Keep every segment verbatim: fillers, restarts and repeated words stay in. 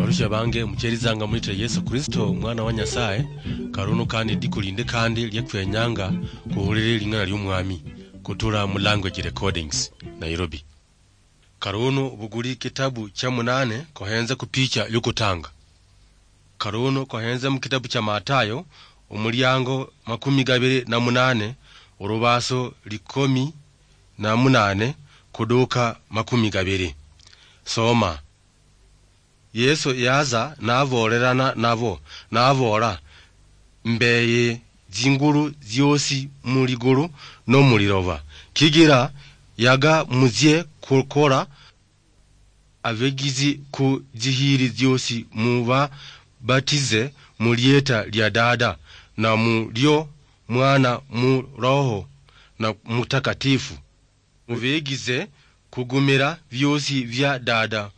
Abarusia bange mucherizanga mulita Yesu Kristo, Mwana wa Nyasaye, karunu kandi lidiku lindi kandi liakwenyanga kuhulire ling'ana liomwami kutula mu language recordings, Nairobi. Karunu buguli kitabu cha munane kohenze kupicha yokutanga. Karunu kohenze mu kitabu cha Matayo, omuliango makumi gabiri na munane, orubaso likomi na munane kuduka makumi gabiri. Soma. Yesu yaza nabolerana nabo, nabola, "Mbeye zingulu ziosi mu ligulu no mu liloba, kigira yaga muzie kukora abegizi ku zihiri ziosi, mubabatize mu lieta lia Dada na mu lio Mwana mu Roho na Mutakatifu. Mubegize kugumira biosi bia Dada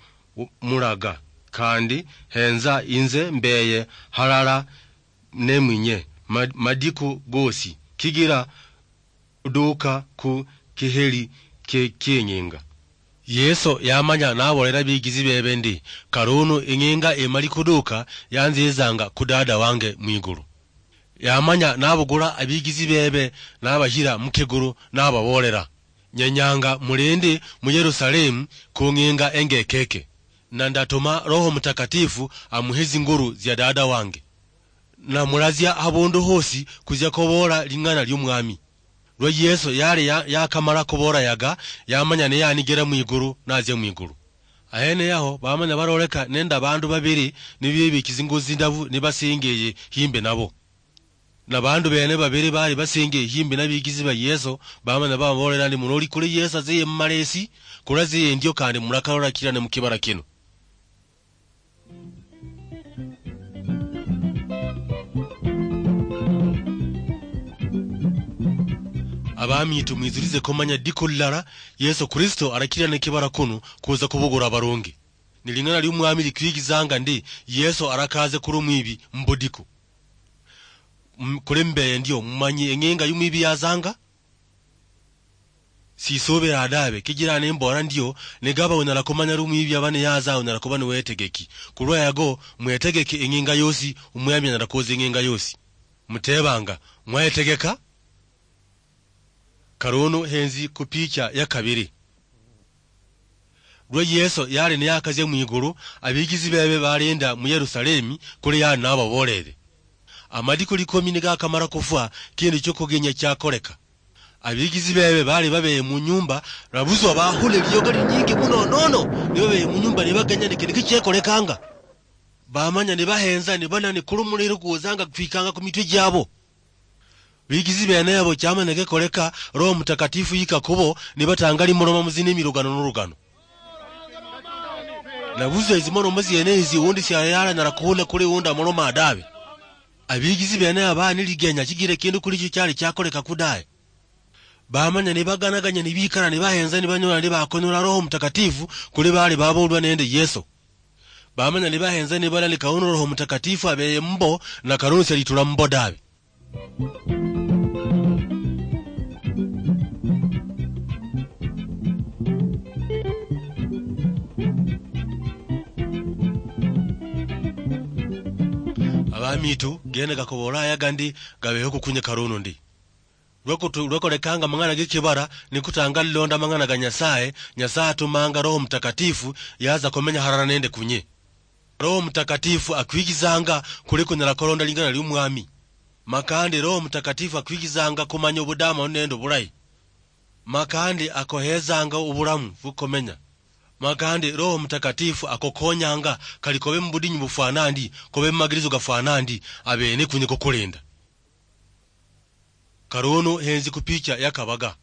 mulaga, kandi henza inze mbeye halala nemwinye ma-, madiku gosi, kigira kuduka ku kiheri kie-, kieng'inga." Yesu yamanya nabolera bigizi bebe ndi, "Karunu ing'inga imali kuduka, yanzizanga ku Dada wange mwigulu." Yamanya nabugula abigizi bebe, nabashira mukigulu, nababolera, "Nyenyanga mulindi mu Yerusalemu kung'inga engekeke, na ndatuma Roho Mutakatifu amuhe zingulu zia Dada wange. Na mulazia habundu hosi kuzia kobola ling'ana liomwami." Lwa Yesu yali ya-, yakamala kobola yaga, yamanya niyanigera mwigulu, nazia mwigulu. Ahene yaho, bamanya baroleka nende abandu babiri nibibikizi zingulu zindabu nibasengeye himbi nabo. Na bandu bene babiri bali basengeye himbi na bigizi ba Yesu, bamanya bababolera ndi, "Muloli kuli Yesu aziye mumalesi, kuli aziye ndio kandi mulakalola kirane mukibala kino." Abamitu, mwizurize komanya diko lilala Yesu Kristo arakirane kibala kunu kuza kubugura abarungi. Ni ling'ana liomwami likwigizanga ndi Yesu arakaze kuli omwibi mubudiko. M-, kuli mbeye ndio, mumanyi eng'inga yomwibi yazanga? Sisubira dabe, kigira nimbola ndio, nigaba unyala kumanya lumwibi aba niyaza, unyala kuba niwetegeki. Kulwa yago, mwetegeke eng'inga yosi, omwami anyala kuza eng'inga yosi. Mutebanga, "Mwetegeka?" Karunu henzi ku picha ya kabiri. Lwa Yesu yali niyakazia mwigulu, abigizi bebe balinda mu Yerusalemi kuli yali nababolere. Amadiku likomi nigakamala kufwa, kindu chiokugenya chiakoleka. Abigizi bebe bali babeye mu nyumba, nabuzwa bahule liyoga linyingi muno nono, nibabeye mu nyumba nibagenya ni kindu kichiekolekanga. Bamanya nibahenza, nibana ni kuli muliro kuozanga kutwikanga ku mitwe jiabo. Bigizi bene abo chamanya gekoleka, Roho Mutakatifu yika kubo, nibatanga limoloma muzine milugano nolugano. Nabuzwa ezimoloma ziene ezi, undi siayala nyala kuhula kuli undi amoloma dabe. Abigizi bene aba niligenya chigira kindu kuli chio chali chakoleka kudaye. Bamanya nibaganaganya, nibikala, nibahenza, nibanyola, nibakonyola Roho Mutakatifu kuli bali babolwa nende Yesu. Bamanya nibahenza, nibala ni kauno Roho Mutakatifu abeye mbo, na karuno sialitula mbo dabe. Abamitu, gene gakobola aya gandi gabeho kukunye karuno ndi. Lwekutu-, lwekolekanga amang'ana gekibala, nikutanga lilonda amang'ana ga Nyasaye, Nyasaye atumanga Roho Mutakatifu, yaza kumenya harara nende kunye. Roho Mutakatifu akwigizanga kuli kunyala kulonda lingana liomwami. Makandi Roho Mutakatifu akwigizanga kumanya obudamanu nende obulayi. Makandi akohezanga obulamu bukomenya. Makandi Roho Mutakatifu akokonyanga kali kobe mubudinyu bufwana ndi, kobe mumagirizo gafwana ndi, abene kunye kukulinda. Karono henzi kupicha ya kabaga.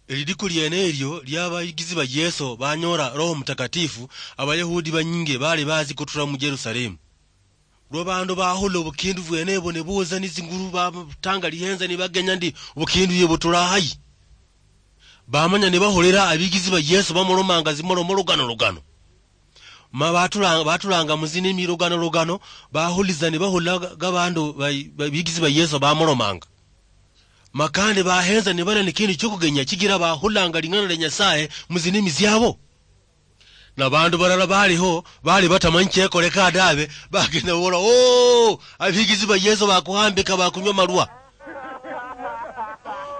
Elidiku liene elio lia abayigizi ba Yeso banyola Roho Mutakatifu, Abayahudi banyingi bali bazi kutula mu Jerusalemu. Lwa bandu bahola obukindu bwene ebo ne boza ni zinguru batanga lihenza ni bagenya ndi obukindu ye butula hayi. Bamanya ne baholera abigizi ba Yeso bamolomanga zimolomo lugano lugano. Ma batulanga, batulanga muzine milugano lugano, bahuliza ne bahula ga, ga bandu ba, ba, bigizi ba Yeso bamolomanga. Makande bahenza ne bana ni kindu chokugenya chigira bahulanga lingana lya Nyasaye muzine miziabo. Na bandu balala baliho, bali batamanyi chekoleka dabe, bagenda bola, "Oh, abigizi ba Yesu bakuhambika, bakunywa malwa."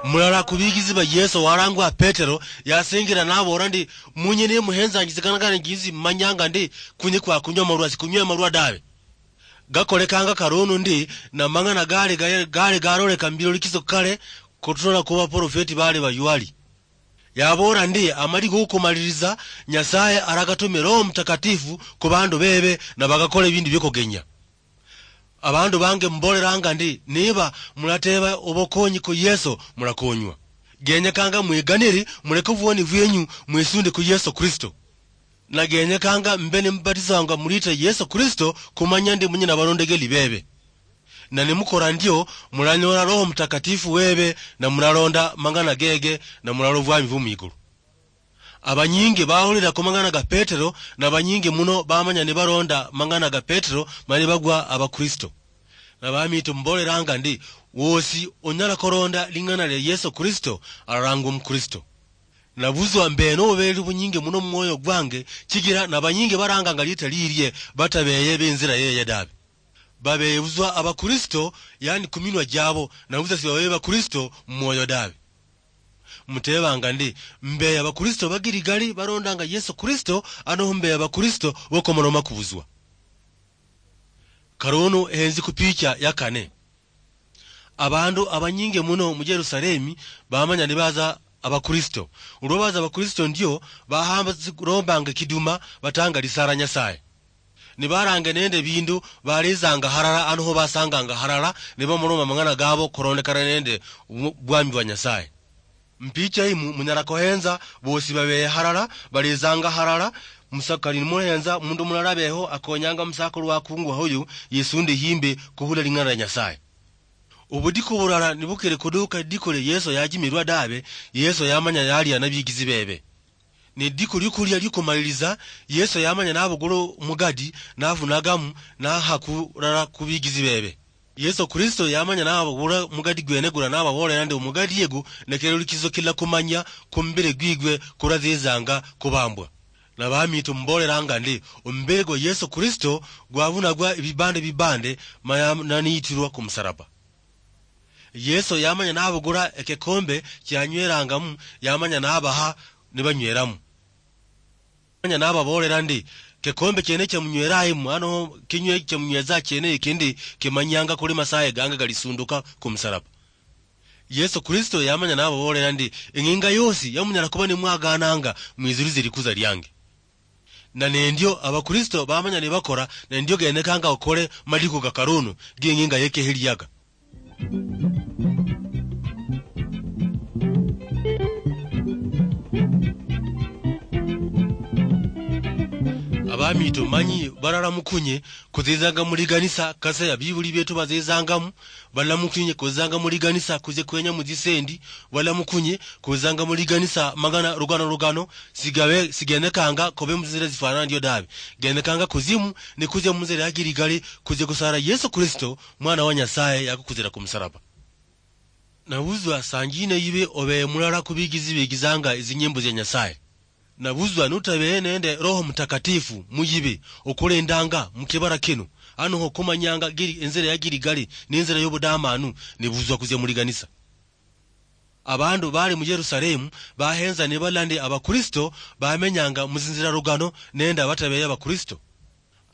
Mulala ku bigizi ba Yesu walangwa Petero, yasingira nabora ndi, "Munye ne muhenzangi zikana kane jinsi manyanga ndi, kunye kwa kunywa malwa, sikunywe malwa dabe." Gakolekanga karono ndi, na mang'ana gale, gale, gale garoleka mbirolikiso kale, kutola ku baprofeti bale bayuali. Yabora ndi, "Amali gokumaliriza, Nyasaye aragatumira Roho Mutakatifu ku bandu bebe, na bagakora ebindu byokugenya." Abandu bange mboleranga ndi, niba mulateba obokonyi ku Yesu, mulakonywa. Genyekanga mwiganiri, muleke obwoni bwenyu, mwisunde ku Yesu Kristo. Na genyekanga mbe nimubatisanga mulita Yesu Kristo, kumanya ndi munye nabalondegeli bebe. Na nimukora ndio, mulanyola Roho Mutakatifu webe, na mulalonda mang'ana gege, na mulala obwami bwo mwigulu. Abanyingi bahulira ku mang'ana ga Petero, na banyingi muno bamanya nibaronda mang'ana ga Petero, mani bagwa Abakristo. Na bamitu mboleranga ndi, wosi onyala koronda ling'ana lya Yesu Kristo, ararangwa Omukristo. Nabuzwa mbe nobuberi bunyingi muno mu mwoyo gwange, chigira na banyingi baranganga liita lirie batabeye b'inzira yeye dabe. Babeye buzwa Abakristo, yani kuminwa jabo, nabuzwa sibabeye Bakristo mu mwoyo dabe. Mutebanga ndi, mbe Abakristo bagirigali barondanga Yesu Kristo, ano mbe Abakristo bokomaloma kubuzwa? Karono henzi ku picha ya kane. Abandu abanyingi muno mu Jerusalemi bamanya nibaza Abakristo. Olwo baza Abakristo ndio, bahamba zirombanga kiduma, batanga lisara Nyasaye. Nibarange nende bindu, balezanga halala, ano ho basanganga halala, nibamuloma mang'ana gabo korondekana nende bu-, bwami bwa Nyasaye. Mpicha imu, munyala kohenza, bosi babeye halala, balezanga halala, musakali nimuhenza, mundu mulala abeho, akonyanga musakulu wakungwa hoyu, yesunde himbe, kuhula ling'ana lya Nyasaye. Obudiku bulala nibukere kuduka diku lya Yesu yajimirwa dabe, Yesu yamanya yalia na bigizi bebe. Ne diku lyokulia lyokumaliriza, Yesu yamanya nabugula omugadi, navunagamu, naha kulala ku bigizi bebe. Yesu Kristo yamanya nabugula omugadi gwene gula nababolera ndi omugadi yegu nekerulikizo kila kumanya kumubiri gwigwe kurazizanga kubambwa. Na bamitu mboleranga ndi, omubiri gwa Yesu Kristo gwavunagwa ebibande bibande, maya naniitirwa ku musaraba. Yesu yamanya nabugula ekikombe kianywerangamu, yamanya nabaha nibanyweramu. Yamanya nababolera ndi, kikombe kiene kiamunywerayimu, ano kinywe kiamunyweza kiene ikindi kimanyanga kuli masaye gange galisunduka ku musaraba. Yesu Kristo yamanya nababolera ndi, eng'inga yosi yamunyala kuba nimwagananga, mwizulize likuza liange. Na nendio Abakristo bamanya nibakora, nendio genekanga okole madiku ga karunu, ging'inga yekeheliaga. Abamitu manyi barara mukunye, kuzizanga muli ganisa kase ya bibuli betu bazizangamu, balamukunye kuzanga muli ganisa kuze kwenya mu zisendi, balamukunye kuzanga muli ganisa magana rugano rugano, sigabe, sigenekanga kobe mu nzira zifanana ndio dabe. Genekanga kuzimu, ne kuze mu nzira ya Giligali, kuze kusara Yesu Kristo, mwana wa Nyasaye, yakukuzira ku musaraba. Nabuzwa sanjine yibe obe mulala ku bigizi bigizanga ezinyimbo zya Nyasaye. Nabuzwa nutabehe nende Roho Mutakatifu muyibi okulindanga mukibara kino, ano ho kumanyanga giri enzira ya Giligali ne enzira y'obudamanu, nibuzwa kuzia muliganisa. Abandu bali mu Yerusalemu bahenza nibalandi Abakristo bamenyanga muzinzira rugano nende abatabehe Abakristo.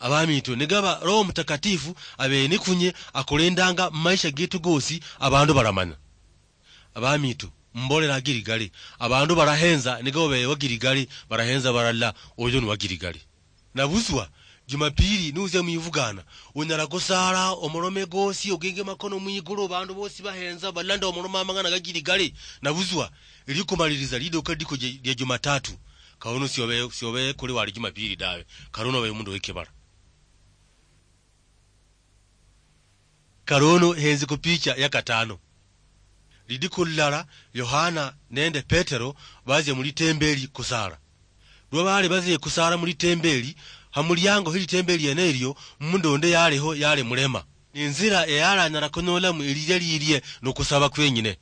Abamitu, nigaba Roho Mutakatifu abe nikunye akulindanga mu maisha getu gosi, abandu baramanya. Abamitu, mbolera Giligali, abandu barahenza nigabo bewa Giligali, barahenza barala, oyo ni wa Giligali. Nabuzwa, Jumapili nuzia mwivugana, unyala kusala omolome gosi, ogenge makono mwigulu, bandu bosi bahenza, balanda omolome amang'ana ga Giligali. Nabuzwa, likumaliriza liduka diko je-, dia Jumatatu. Kauno siobe, siobe kuli wali Jumapili dawe. Karuno obe mundu wekibala. Karono henzi ku picha ya katano. Lidiku lilala, Yohana nende Petero bazia mu litembeli kusala. Lwa bali bazia kusala mu litembeli, ha muliango hi litembeli yene ilio, mundu undi yaliho yali mulema. Ninzira eyalanyala kunyolamu elilia lilie nokusaba kwenyine.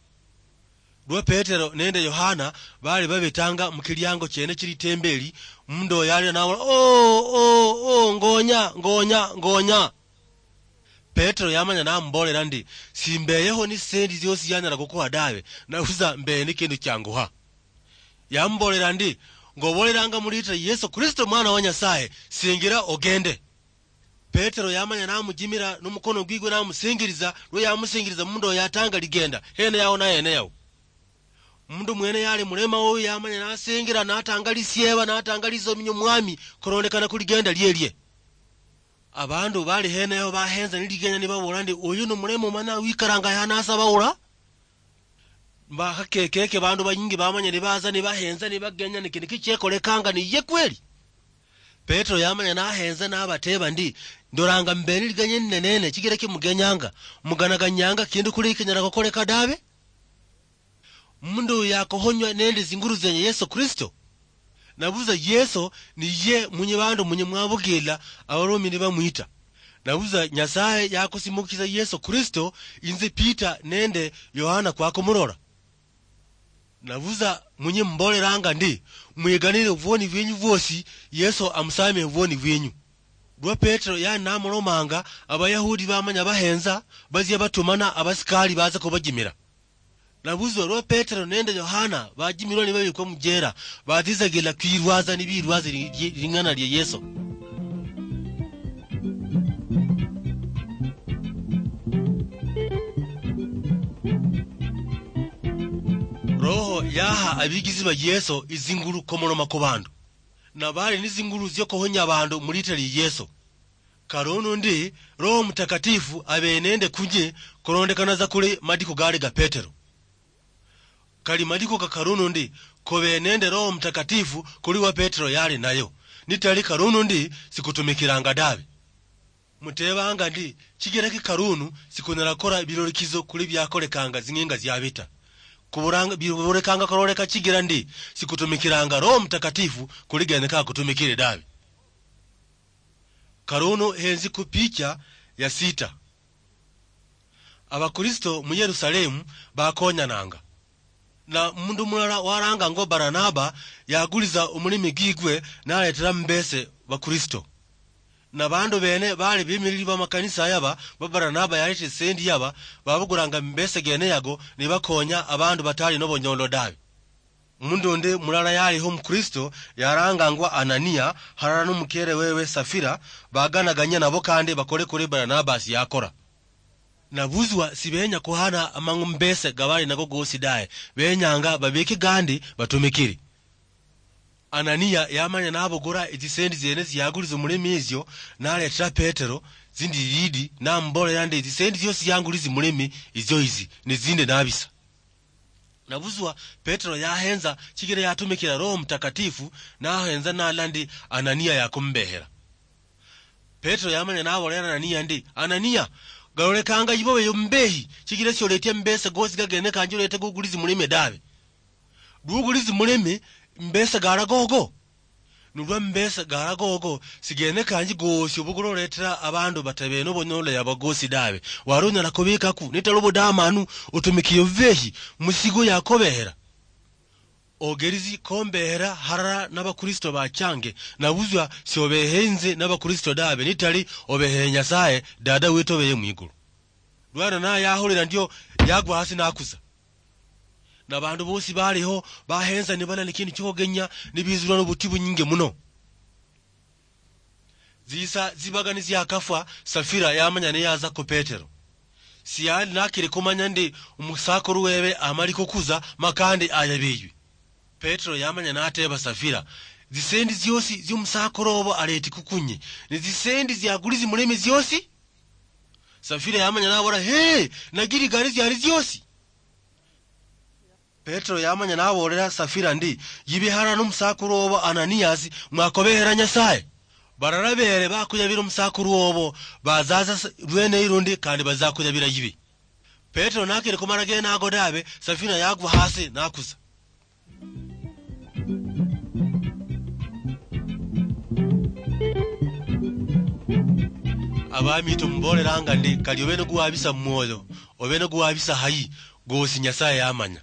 Lwa Petero nende Yohana bali babetanga mukiliango chiene chilitembeli, mundu oyo yalira nabola, "Oh, oh, oh, ngonya, ngonya, ngonya." Petero yamanya namubolera ndi, "Simbeyeho ni sendi ziosi zianyala kukuha dawe, nabusa mbeye ni kindu kianguha." Yamubolera ndi, "Ngobolelanga mulita Yesu Kristo mwana wa Nyasaye, singira ogende." Petero yamanya namujimira nomukono gwigwe namusingiriza, lwe yamusingiriza mundu oyo yatanga ligenda, hene yaho na hene yaho. Mundu mwene yali mulema oyo yamanya nasingira natanga lisieba, natanga lisominyo mwami, korondekana ku ligenda lielie. Abandu bali hene yaho bahenza ni ligenya nibabola ndi, "Oyu ni mulema omanya wikaranga yaha nasaba ula?" Mbakakekeke bandu banyingi bamanya nibaza nibahenza nibagenya ni kindu kichiekolekanga ni ye kweli. Petero yamanya nahenza nabateba ndi, "Ndoranga mbeni liganye ninenene chigira kimugenyanga, muganaganyanga kindu kuli kinyala kokoleka dabe." Mundu uyu yakohonywa nende zinguru zenye Yesu Kristo. Nabuza Yesu ni ye munye bandu munye mwabugila abarumi nibamwita. Nabuza Nyasaye yakusimukisa Yesu Kristo, inze Peter nende Yohana kwakumurora. Nabuza munye mbolelanga ndi, "Mwiganire obwoni bwenyu bwosi, Yesu amusamie obwoni bwenyu." Lwa Petero yani namulomanga, Abayahudi bamanya bahenza, bazia batumana abasikali baza kubajimira. Nabuzwa lwa Petero nende Yohana bajimirwa nibabikwa mujera, bazizagila kwirwaza nibirwaza li-, li-, ling'ana lia Yesu. Roho yaha abigizi ba Yesu izingulu komoloma ku bandu. Nabali ni zingulu zio kuhonya bandu mu lita lia Yesu. Karunu ndi, Roho Mutakatifu abe nende kunye, korondekana za kuli madiko gale ga Petero. Kali madiko ka karunu ndi, kobe nende Roho Mutakatifu kuli wa Petero yali nayo. Nitali karunu ndi, sikutumikiranga dabi. Mutebanga ndi, chigira ki karunu sikunyala kora birorikizo kuli byakolekanga zing'inga zia bita. Kuburanga, biburekanga koroleka chigira ndi, sikutumikiranga Roho Mutakatifu kuli genyeka kutumikire dabi. Karunu henzi ku picha ya sita. Abakristo mu Yerusalemu bakonyananga. Na mundu mulala waranga ngo Baranaba yaguliza omulimi gigwe naletera mbese Bakristo. Na bandu bene bali bimiriri ba makanisa yaba, ba Baranaba yalete sendi yaba, babuguranga mbese gene yago nibakonya abandu batali nobonyolo dabi. Mundu undi mulala yaliho Mukristo yarangangwa Anania, harara nomukere wewe Safira, baganaganya nabo kandi bakole kuri Baranabasi yakora. Nabuzwa sibenya kuhana amang'u mbese gabali nago gosi daye, benyanga babike gandi batumikiri. Anania yamanya nabugura ezisendi ziene ziaguliza omulimi ezio, naletera Petero zindi yidi, namubolera ndi, "Ezisendi ziosi zianguliza omulimi ezio izi, nizinde nabisa." Nabuzwa Petero yahenza, chigira yatumikira Roho Mutakatifu, nahenza nala ndi Anania yakumubehera. Petero yamanya nabolera Anania ndi, "Anania, galolekanga ibobe yombehi, chigira sioletia mbese gosi gagene kanji olete gogulizi mulime dabe. Dugulizi mulime, mbese gala gogo." Nolwa mbesa gala gogo, sigene kanji gosi obugula oletera abandu batabene obonyole yabo gosi dawe. Wari onyala kubikaku, nitali obudamanu, otumikiye obubehi, musigo yakobehera. Ogerisi kombehera harara n'Abakristo bachange, nabuzwa siobehe inze n'Abakristo dawe, nitali obehe Nyasaye, Dada wetu obeye mwigulu. Lwana naye yahulira ndio, yagwa hasi nakusa. Nabandu bosi baliho bahenza nibala ni kindu kiogenya, nibizulwa nobuti bunyingi muno. Zisa zibaga niziakafwa, Safira yamanya niyaza ku Petero. Siyali nakiri kumanya ndi omusakuru webe amali kukuza makandi ayabeywe. Petero yamanya nateba Safira, "Zisendi ziosi ziomusakuru obo aleti kukunye, ni zisendi ziagulizi muleme ziosi?" Safira yamanya nabora, "Hee, nagiri gari ziali ziosi." Petero yamanya nabolera Safira ndi, "Yibe harara nomusakuru obo Ananiasi, mwakobehera Nyasaye. Barara bere bakuyabira omusakuru obo, bazaza s-, lwene ilundi kandi bazakuyabira yibe." Petero nakiri kumara gene ago dabe, Safira yagwa hasi nakusa. Abami tumuboleranga ndi, kali obe noguwabisa mumwoyo, obe noguwabisa hayi, gosi Nyasaye yamanya.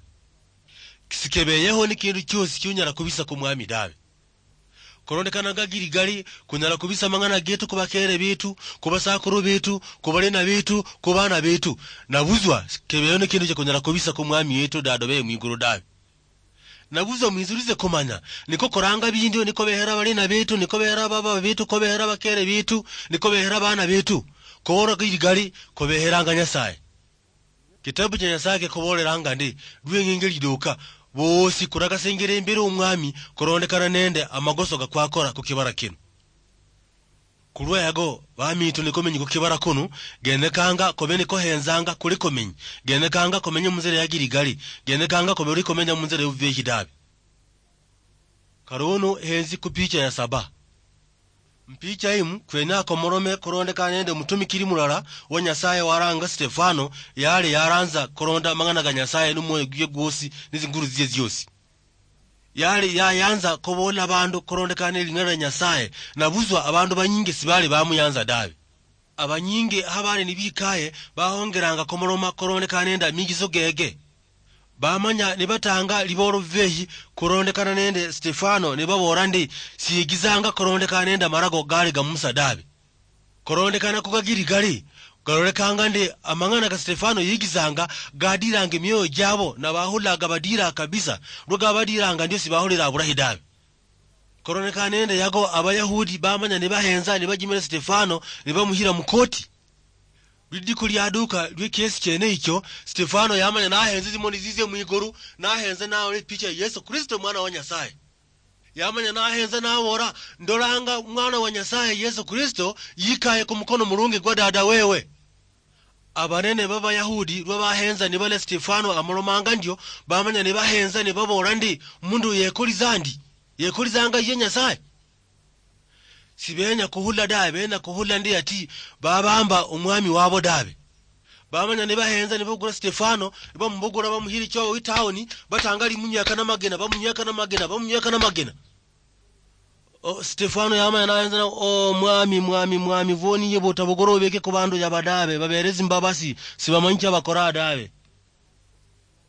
Sikebeyeho ni kindu kiosi kiunyala kubisa ku Mwami dawe. Korondekana nga Giligali, kunyala kubisa amang'ana getu ku bakeere betu, ku basakuru betu, ku balina betu, ku baana betu. Nabutswa, sikebeyeho ni kindu kya kunyala kubisa ku Mwami wetu Dada obe mwigulu dawe. Nabutswa mwitsulize kumanya, niko koranga bindio, niko behera balina betu, niko behera baba betu, ko behera bakeere betu, niko behera baana betu. Kobora Giligali, kobeheranga Nyasaye. Kitabu kya Nyasaye kikoboolelanga ndi, lweng'enge liduuka, boosi kurakasengere imberi w'Omwami, kurondekana nende amagoso kakwakora ku kibara kino. Kulwa yago, bamiitu nikomenyi ku kibara kunu, genyekanga kobe nikohenzanga kuli komenyi, genyekanga komenye munzira ya Giligali, genyekanga kobe uli komenya munzira y'obubeehi dabe. Kari unu henzi ku picha ya saba. Mpicha imu, kwenya komorome korondekana nende omutumikiri mulala wa Nyasaye waranga Stefano, yali yaranza koronda amang'ana ga Nyasaye nomwoyo gwe gwosi netsinguru tsiye tsiosi. Yali yayanza kobola abandu korondekana neling'ana lia Nyasaye, nabutswa abandu banyingi sibali bamuyanza dawe. Abanyingi habali nibikaye bahongeranga komoroma korondekana nende amigiso gege. Bamanya nibatanga liboolo bibeeyi korondekana nende Stefano, nibabola ndi, siyigizanga korondekana nende amarago gale ga Musa dabe. Korondekana ku ga Giligali, galolekanga ndi amang'ana ga Stefano yigizanga gadiranga emioyo jabo, na bahulaga badira kabisa, lwa gabadiranga ndio sibaholera aburahi dabe. Korondekana nende yago, Abayahudi bamanya nibahenza, nibajimira Stefano, nibamuhira mukoti. Lidiku liaduka lwe kiesi kiene icho, Stefano yamanya nahenza tsimoni tsitsie mwikulu, nahenza naona epicha ya Yesu Kristo, Mwana wa Nyasaye. Yamanya nahenza nabora, ndolanga Mwana wa Nyasaye Yesu Kristo yikaye kumukono mulungi gwa Dada wewe. Abanene b'Abayahudi lwa bahenza nibala Stefano amolomanga ndio, bamanya nibahenza nibabora ndi, mundu uyu yekoliza ndi? Yekolizanga ye Nyasaye? Sibenya kuhula dawe, benya kuhula ndi ati babamba omwami wabo dawe. Bamanya nibahenza nibabugula Stefano, nibamubugula bamuhira ichoo itaoni, batanga limunyweka namagena, bamunyweka namagena, bamunyweka namagena. O, Stefano yamanya nahenza na, "O, Mwami, Mwami, Mwami, voni ye butabugula obeke ku bandu yaba dawe, babere tsimbabasi, sibamanyi chia bakora dawe."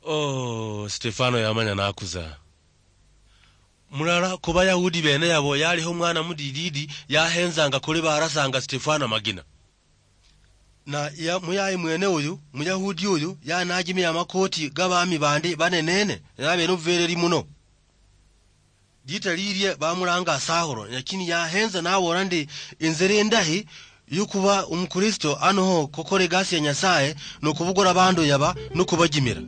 O, Stefano yamanya nakuza. Mulala ku Bayahudi bene yabo yaliho omwana mudididi yahenzanga kuli barasanga Stefano amagina. Na ya, muyayi mwene uyu, Muyahudi uyu, yanajimia amakoti g'abami bandi banenene, nabere obubereri muno. Lita lilye bamulanga Saulo, lakini yahenza nabola ndi, inzira indahi yukhuba Omukristo anoho khukhola egasi ya Nyasaye, nokhubukula abandu yaba nokhubajimira.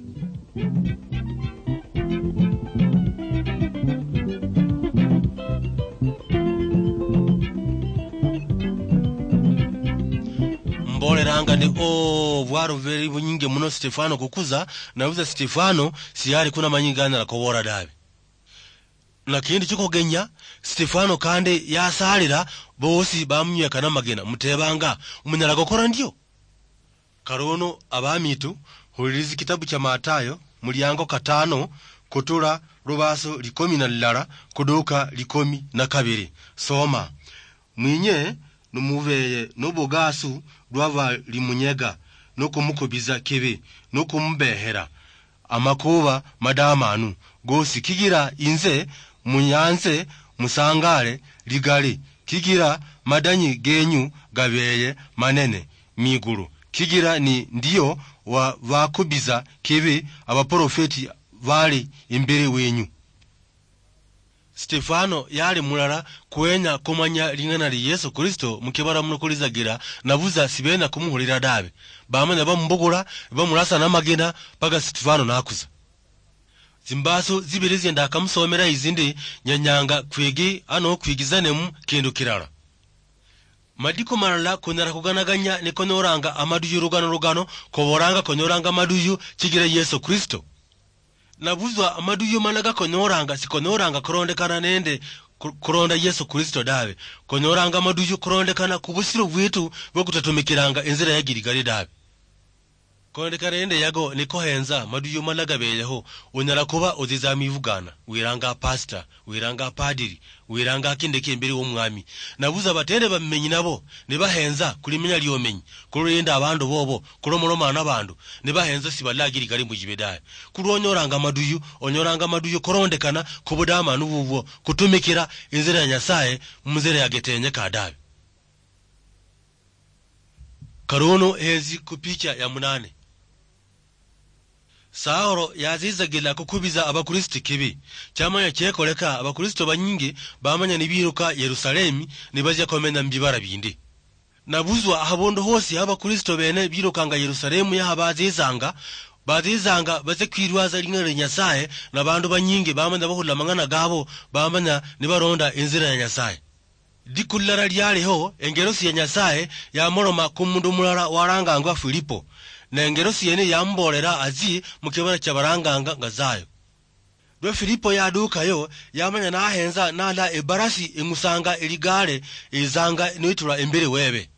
Mboleranga ndi, "Oh, bwaro bubere bunyingi muno Stefano kukuza, nabuza Stefano siyali kuna manyi ganyala kobora dabe." Na kindi chikogenya, Stefano kandi yasalira bosi bamunyweka namagena, mutebanga, "Munyala gokora ndio?" Kalono abamitu, hulirizi kitabu cha Matayo, muliango katano, kutula lubaso likomi na lilala, kuduka likomi na kabiri. Soma. Mwinye numubeye nobugasu lwa balimunyega, nokumukubiza kibi, nokumubehera amakuba madamanu gosi, kigira inze munyanze musangale ligali, kigira madanyi genyu gabeye manene mwigulu, kigira ni ndio wa bakubiza kibi abaprofeti bali imberi wenyu. Stefano yali mulala kuwenya kumanya ling'ana li Yesu Kristo mukibala muno kulizagira, nabuza sibenya kumuhulira dabe. Bamanya bamubugula, bamulasa namagina, paka Stefano nakuza. Zimbaso zibiri zie ndakamusomera izi ndi, nyanyanga kwigi ano kwigizanemu kindu kirala. Madiko malala kunyala kuganaganya nikonyoranga amaduyu lugano lugano, koboranga konyoranga amaduyu chigira Yesu Kristo. Nabuzwa amaduyu mana gakonyoranga, sikonyoranga kurondekana nende ku-, kuronda Yesu Kristo dawe. Konyoranga amaduyu kurondekana ku busiro bwetu bwo kutatumikiranga inzira ya Giligali dawe. Kolondekana nende yago nikohenza maduyo mala gabeyeho, onyala kuba oziza mwibugana, wiranga pastor, wiranga padiri, wiranga akindeke imberi womwami. Nabuza batende bamenyi nabo, nibahenza kulimenya liomenyi, kuloli nende abandu bobo, kulomoloma nabandu, nibahenza sibala agiri kali mujibe daye. Kulwa onyoranga maduyo, onyoranga maduyo korondekana kubudamanu bubwo, kutumikira inzira ya Nyasaye munzira yagetenyeka dawe. Karono hezi kupicha ya munane. Sauro yazizagila kukubiza Abakristo kibi. Chamanya chekoleka, Abakristo banyingi bamanya nibiruka Yerusalemi nibazia komenya mubibara bindi. Nabuzwa habundu hosi Abakristo bene birukanga Yerusalemu yaha bazizanga, bazizanga baze kwirwaza ling'ana lia Nyasaye, na bandu banyingi bamanya bahula mang'ana gabo, bamanya nibaronda inzira ya Nyasaye. Lidiku lilala lialiho, engelosi ya Nyasaye yamoloma kumundu mulala walangangwa Filipo, ne engelosi yene yamubolera azi mukibala kya balanganga Gazayo. Lwa Filipo yadukayo, yamanya nahenza nala ebarasi eng'usanga eligare ezanga nitula embere webe.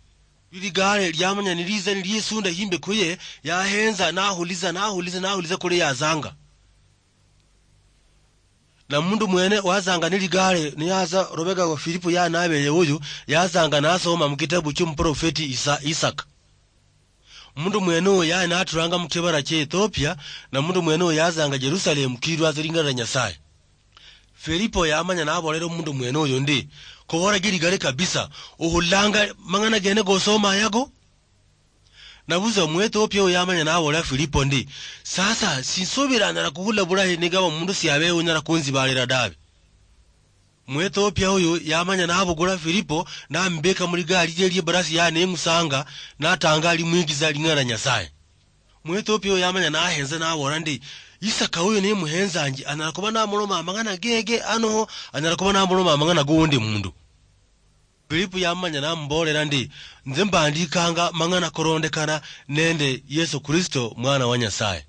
Lwa ligare liamanya niliza niliesunda himbe kuye, yahenza nahuliza, nahuliza, nahuliza kuli yazanga. Na mundu mwene wazanga ni ligare, niyaza rubega wa Filipo ya nabeye uyu, yazanga nasoma mu kitabu ky'omuprofeti Isa-, Isaka. Mundu mwene uyu yali naturanga mu kibara kya Ethiopia, na mundu mwene uyu yazanga Jerusalemu kirwaza lingana lya Nyasaye. Filipo yamanya nabolera omundu mwene uyu ndi, "Kobora giri gare kabisa, ohulanga mang'ana gene gosoma yago?" Nabuza Omuethiopia oyo yamanya naboolera Filipo ndi, "Sasa, sinsubira anyala kuhula bulahi nigaba omundu siabeho unyala kunzibalira dabe." Omuethiopia oyo yamanya nabugula Filipo, namubeka muligari lye lyebarasi yaye nemusanga, natanga alimwigiza ling'ana lya Nyasaye. Omuethiopia oyo yamanya nahenza nabola ndi, "Isaka oyo nemuhenzanji, anyala kuba namuloma amang'ana gege, anoho anyala kuba namuloma amang'ana goundi mundu." Filipo yamanya namuboolera ndi, "Nze mbandikanga mang'ana korondekana nende Yesu Kristo, Mwana wa Nyasaye."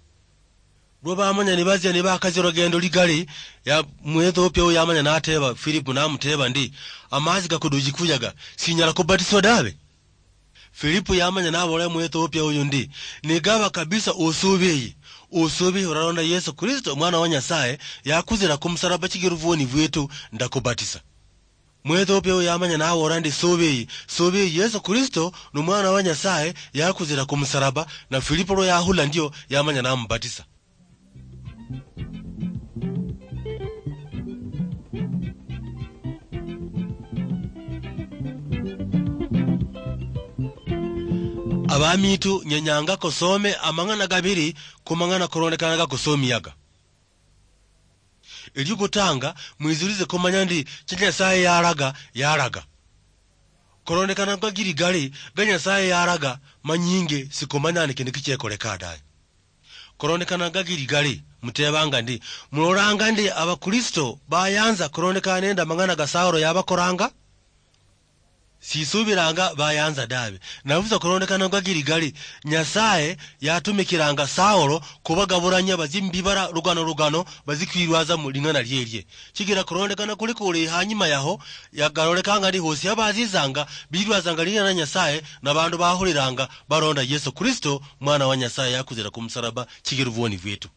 Lwa bamanya nibazia nibakazia olugendo ligali, ya Muethiopia oyo yamanya nateba Filipo, namuteba ndi, "Amazi gakuduji kuyaga, sinyala kubatiswa dabe?" Filipo yamanya naboolera Muethiopia oyo ndi, "Nigaba kabisa osubiyi, osubiyi oralonda Yesu Kristo, Mwana wa Nyasaye, yakuzira kumusalaba chigera obwoni bwetu, ndakubatisa." Muethiopia oyo yamanya naboolera ndi, "Subiyi, subiyi, Yesu Kristo ni Mwana wa Nyasaye, yakuzira kumusalaba," na Filipo lwa yahula ndio, yamanya namubatisa. Abamitu, nyenyanga kosome amang'ana gabiri ku mang'ana korondekana gakosomiyaga. Eliokutanga, mwizurize kumanya ndi cha Nyasaye yalaga, yalaga. Korondekana gagiri gali, ga Nyasaye yalaga, manyinge sikumanya ni kindu kichekoleka daye. Korondekana gagiri gali, mutebanga ndi, mulolanga ndi Abakristo bayanza korondekana nende amang'ana ga Saulo yabakoranga? Sisubiranga bayanza dabe. Nabusa korondekana gagiri gali, Nyasaye yatumikiranga Saulo kubagaburanya bazi mubibara lugano lugano, bazi kwirwaza muling'ana lielie. Chigira korondekana kuli kuli hanyuma yaho, yagarolekanga ndi hosi abazizanga, birwazanga ling'ana lia Nyasaye, na bandu bahuliranga, baronda Yesu Kristo, Mwana wa Nyasaye, yakuzira kumusalaba, chigira obwoni bwetu.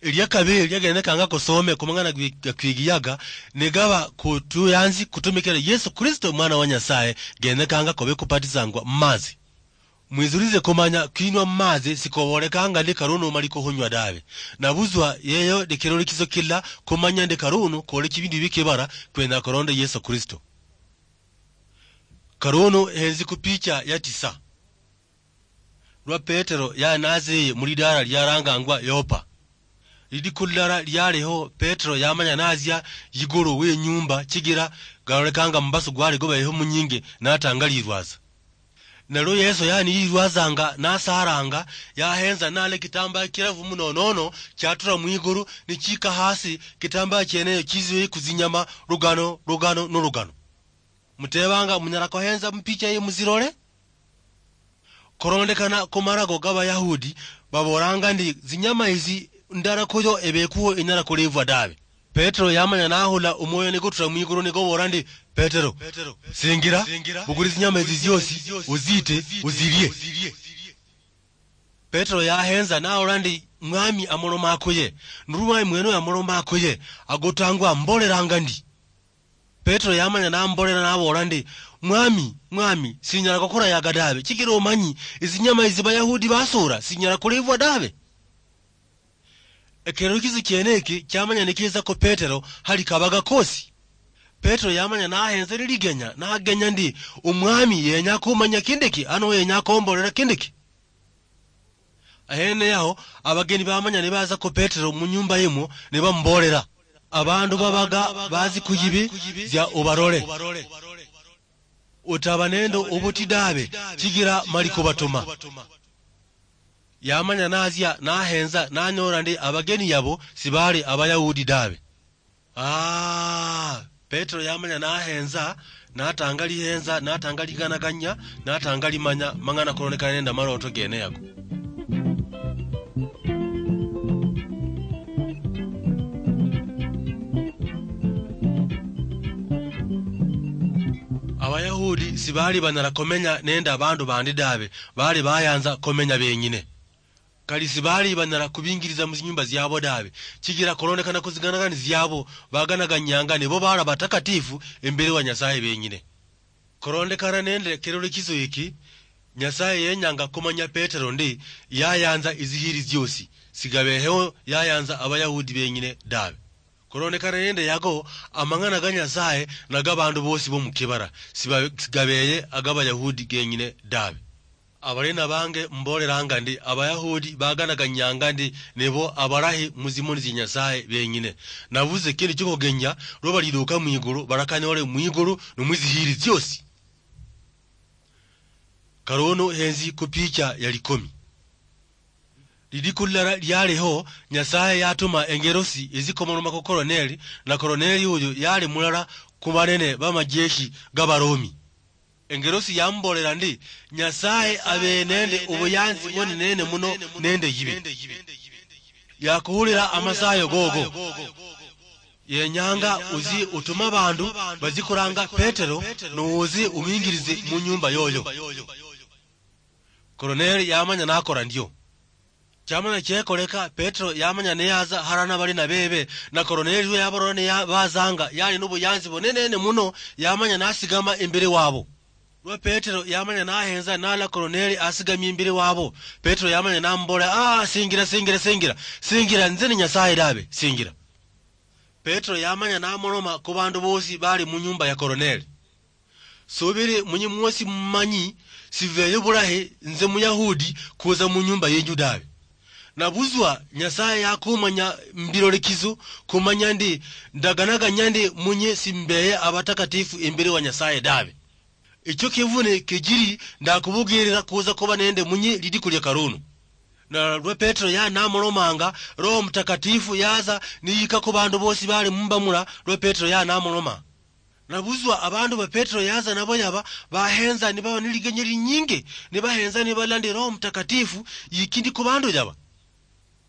Elia kabiri liagenyekanga kusome ku mang'ana gwi-, ga kwigiyaga, nigaba kutuyanzi kutumikira Yesu Kristo, Mwana wa Nyasaye, genyekanga kobe kubatisangwa mu mazi. Mwizurize kumanya kwinwa mu mazi sikobolekanga ndi karunu mali kuhunywa dabe. Nabuzwa yeyo ni kirolekiso kila kumanya ndi karunu kole chibindu bikibara kwenya kuronda Yesu Kristo. Karunu henzi ku picha ya tisa. Lwa Petero yali naziye mu lidala liarangangwa Yopa. Lidiku lilala lialiho, Petero yamanya nazia yigulu we inyumba, chigira galolekanga mubasu gwali gubeyeho munyingi, natanga lirwaza. Nalwo Yesu yali niyirwazanga, nasaranga, yahenza nale kitambaya kirafu muno nono, chatura mwigulu, nichika hasi, kitambaya chieneyo chiziwe kuzinyama, lugano, lugano, nolugano. Mutebanga, munyala kuhenza mupicha ye muzirole? Korondekana ku marago g'Abayahudi, babolanga ndi zinyama izi ndala kuyo ebekuho inyala kulivwa dabe. Petero yamanya nahula omwoyo nigutura mwigulu nigubola ndi, "Petero, singira, bukuli zinyama izi ziosi, uziite, uzilie." Petero yahenza nahola ndi, "Mwami amoloma akuye. Nuru mwami mwene oyo amoloma akuye, agotangwa ambolelanga ndi." Petero yamanya nambolela nabola ndi, "Mwami, mwami, sinyala kukora yaga dabe, chikira omanyi, izinyama izi Bayahudi basura, sinyala kulivwa dabe." Ekerukizo kiene eki kiamanya nikiza ku Petero hali kabaga kosi. Petero yamanya nahenza liligenya, nagenya ndi, "Omwami yenya kumanya kindiki, ano yenya kumbolela kindiki." Ahene yaho, abageni bamanya nibaza ku Petero mu nyumba yimwo, nibambolela, "Abandu babaga bazi kuyibi, zia ubarole. Utaba nende obuti dabe, chigira mali kubatuma." Yamanya nazia, nahenza, nanyola ndi abageni yabo sibali Abayahudi dabe. Ah, Petero yamanya nahenza, natanga lihenza, natanga liganaganya, natanga limanya, mang'ana kolonekana nende amaloto gene yago. Abayahudi sibali banyala komenya nende abandu bandi dabe, bali bayanza komenya benyine. Kali sibali banyala kubingiriza mu zinyumba ziabo dabe, chigira kolondekana ku ziganagani ziabo, baganaganyanga nibo bali abatakatifu imberi wa Nyasaye benyine. Kolondekana nende kerolekiso eki, Nyasaye yenyanga kumanya Petero ndi yayanza izihiri ziosi, sigabeheho yayanza Abayahudi benyine dabe. Kolondekana nende yago, amang'ana ga Nyasaye na ga bandu bosi bo mukibara, siba-, sigabeye aga Bayahudi genyine dabe. Abalina bange mbolelanga ndi, Abayahudi baganaganyanga ndi nibo abalahi mu zimoni zia Nyasaye benyine. Nabuze kindu chikogenya, lwa baliduka mwigulu, balakanyole mwigulu ni mwizihiri ziosi. Karono henzi ku picha ya likomi. Lidiku lilala lialiho, Nyasaye yatuma engerosi ezikomoloma ku Koroneli, na Koroneli uyu yali mulala ku banene bamajeshi ga Baromi. Engerosi yamubolela ndi, "Nyasaye abe nende obuyanzi bwonenene muno nende yibe. Yakuhulila amasayo gogo. Yenyanga uzi utume abandu bazikuranga Petero, nuuzi umingirize mu nyumba yoyo." Koroneli yamanya nakora ndio. Chamanya chekoleka, Petero yamanya neyaza harana bali na bebe, na Koroneli lwe yabarora neya-, bazanga, yali nobuyanzi bunenene muno, yamanya nasigama imbere wabo. Lwa Petero yamanya nahenza nala Koroneli asigamie imbere wabo, Petero yamanya namubola, "Ah, singira, singira, singira, singira, nze ni Nyasaye dabe, singira." Petero yamanya namoloma ku bandu bosi bali mu nyumba ya Koroneli. Subiri munyi mwosi mumanyi, siveyo bulahi nze Muyahudi kuza mu nyumba yenyu dabe. Nabuzwa Nyasaye yakumanya mbilolekizo, kumanya ndi ndaganaganya ndi munyi simbeye abatakatifu imberi wa Nyasaye dabe. Icho kivune kijiri ndakubugirira kuza kuba nende munyi lidiku lya karunu. Na lwa Petero ya namulomanga, Roho Mutakatifu yaza niyika ku bandu bosi bali mumba mula lwa Petero ya namuloma. Nabuzwa abandu ba Petero yaza nabo yaba bahenza nibaba ni ligenye linyingi, nibahenza nibala ndi Roho Mutakatifu yikindi ku bandu yaba.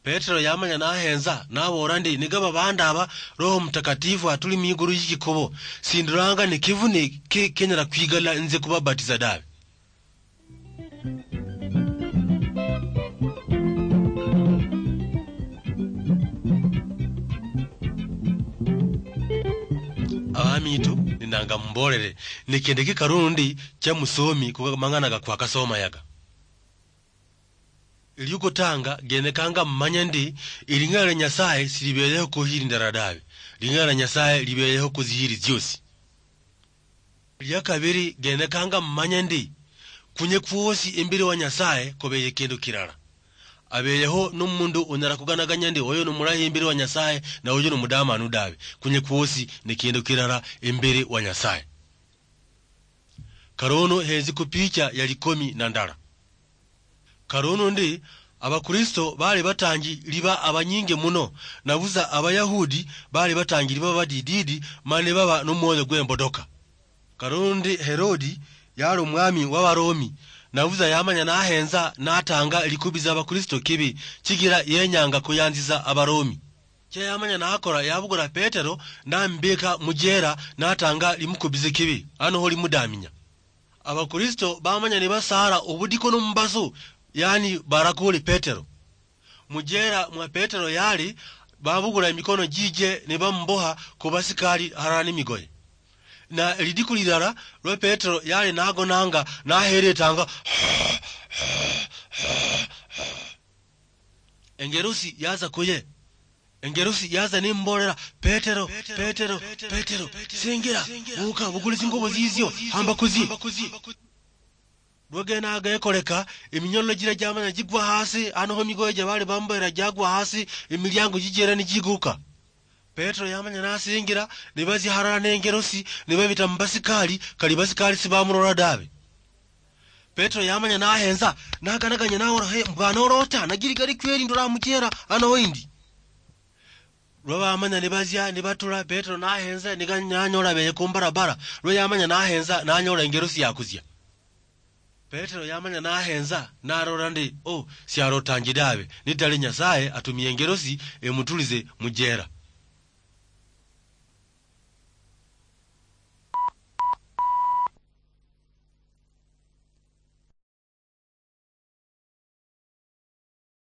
Petero yamanya nahenza, nabola ndi, "Nigaba bandu aba Roho Mutakatifu atuli mwigulu yikikubo, sindulanga ni kivune ki kenyala kwigala nze kubabatiza dabe." Abamitu, ninanga mumbolere, nikende kikarundi cha musomi kuga mang'ana ga kwakasoma yaga. Eliukutanga, genekanga mumanye ndi, eling'ana lia Nyasaye silibeyeho kuhili ndala dabe. Ling'ana lia Nyasaye libeyeho kuzihili ziosi. Lia kabiri, genekanga mumanye ndi, kunye kwosi imberi wa Nyasaye kubeye kindu kilala. Abeyeho nomundu unyala kuganaganya ndi oyo nomulahi imberi wa Nyasaye, na oyo nomudamanu dabe. Kunye kwosi ni kindu kilala imberi wa Nyasaye. Karono henzi ku picha ya likomi na ndala. Karono ndi, Abakristo bali batangi liba abanyingi muno, nabuza Abayahudi bali batangi liba badididi, mani baba nomwoyo gwembodoka. Karono ndi Herodi yali omwami wa Baromi, nabuza yamanya nahenza natanga likubiza Abakristo kibi, chigira yenyanga kuyanziza Abaromi. Chia yamanya nakora, yabukula Petero, namubika mujera, natanga limukubize kibi, ano ho limudaminya. Abakristo bamanya nibasara obudiko nomumbasu, yaani barakuli Petero. Mujera mwa Petero yali, babugula emikono jije nibamuboha kubasikali harala nimigoye. Na lidiku lilala lwa Petero yali nagonanga naheretanga, engerusi yaza kuye. Engerusi yaza nimbolera, "Petero, Petero, Petero, singira, buka, bukule zingubo zizio, hamba kuzi." Lwa gene ago gekoleka, eminyololo jira jamanya jigwa hasi, ano ho migoye ja bali bamboera jagwa hasi, emiliango jijera nijiguka. Petero yamanya nasingira, nibazia harala nengerosi, nibabita mubasikali, kali basikali sibamurora dabe. Petero yamanya nahenza, naganaganya naora, "He, mbwana orota, nagiri gari kweri ndora mujera, ano ho indi." Lwa bamanya nibazia, nibatula, Petero nahenza, niga-, nanyola beye kumbarabara. Lwa yamanya nahenza, nanyola engerosi yakuzia. Petero yamanya nahenza, narora ndi, "Oh, siarotangi dabe, nitali Nyasaye atumie engerosi emutulize mujera."